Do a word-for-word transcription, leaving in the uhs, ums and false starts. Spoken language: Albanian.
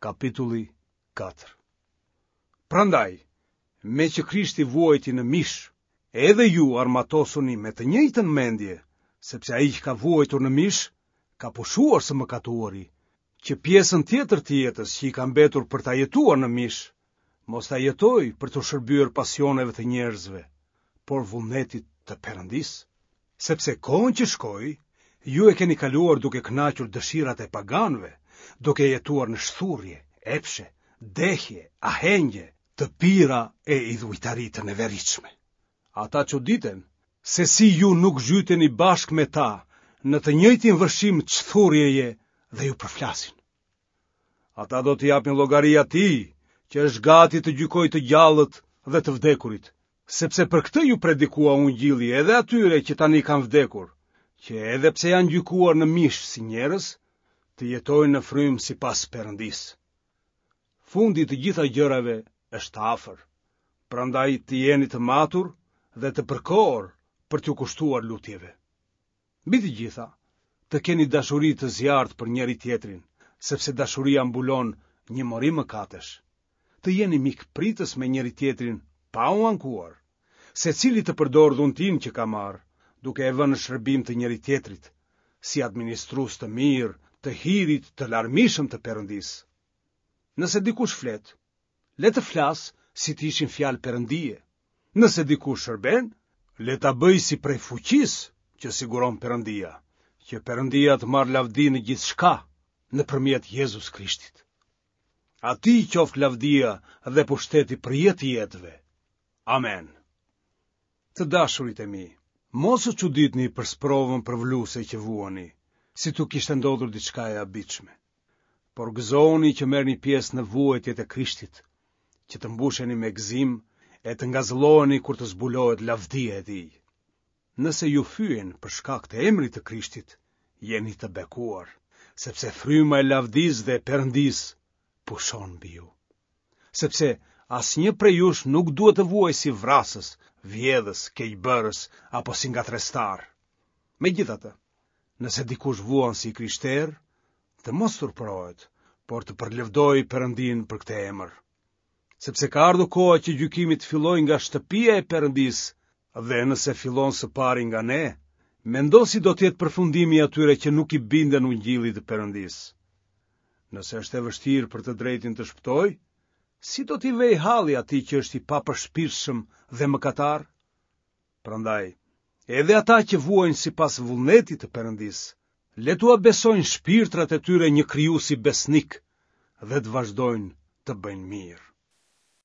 Kapitulli katër. Prandaj, meqë Krishti vuajti në mish, edhe ju armatosuni me të njëjtën mendje, sepse ai që ka vuajtur në mish, ka pushuar së mëkatuari, që pjesën tjetër të jetës që i ka mbetur për ta jetuar në mish, mos ta jetojë për t'u shërbyer pasioneve të njerëzve, por vullnetit të Perëndisë. Sepse kohën që shkoi, ju e keni kaluar duke kënaqur dëshirat e paganëve, duke jetuar në shthurje, epshe, dehje, ahengje, të pira e idhujtari të neveritshme. Ata çuditen se si ju nuk zhyteni bashkë me ta në të njëjtin vërshim çthurjeje dhe ju përflasin. Ata do t'i japin llogari atij që është gati të gjykojë të gjallët dhe të vdekurit, sepse për këtë ju predikua ungjilli edhe atyre që tani kanë vdekur, që edhe pse janë gjykuar në mish si njerëz, të jetojnë në frymë sipas Perëndisë. Fundi i të gjitha gjërave është afër, prandaj të jeni të matur dhe të përkohur për t'ju kushtuar lutjeve. Mbi të gjitha, të keni dashuri të zjarrtë për njëri tjetrin, sepse dashuria mbulon një mori mëkatesh. Të jeni mikpritës me njëri tjetrin pa u ankuar, secili të përdorë dhuntinë që ka marrë, duke e vënë në shërbim të njëri tjetrit, si administrues të mirë të hirit të larmishëm të Perëndisë. Nëse dikush flet, le të flasë si të ishin fjalë Perëndie. Nëse dikush shërben, le ta bëjë si prej fuqisë që siguron Perëndia, që Perëndia të marrë lavdi në gjithçka nëpërmjet Jezus Krishtit. Atij qoftë lavdia dhe pushteti për jetë të jetëve. Amen. Të dashurit e mi, mos u çuditni për sprovën përvëluese që vuani, si t'u kishte ndodhur diçka e habitshme. Por gëzohuni që merrni pjesë në vuajtjet e Krishtit, që të mbusheni me gëzim e të ngazëlloheni kur të zbulohet lavdia e tij. Nëse ju fyejnë për shkak të emrit të Krishtit, jeni të bekuar, sepse fryma e lavdisë dhe e Perëndisë pushon mbi ju. Sepse asnjë prej jush nuk duhet të vuajë si vrasës, vjedhës, keqbërës apo si ngatërrestar. Megjithatë, nëse dikush vuan si i krishterë, të mos turpërohet, por të përlëvdojë Perëndinë për këtë emër. Sepse ka ardhur koha që gjykimi të fillojë nga shtëpia e Perëndisë, dhe nëse fillon së pari nga ne, mendo si do të jetë përfundimi i atyre që nuk i binden ungjillit të Perëndisë. Nëse është e vështirë për të drejtin të shpëtojë, si do t'i vejë halli atij që është i papërshpirtshëm dhe mëkatar? Prandaj, edhe ata që vuajnë sipas vullnetit të Perëndisë, le t'ua besojnë shpirtrat e tyre një krijuesi besnik dhe të vazhdojnë të bëjnë mirë.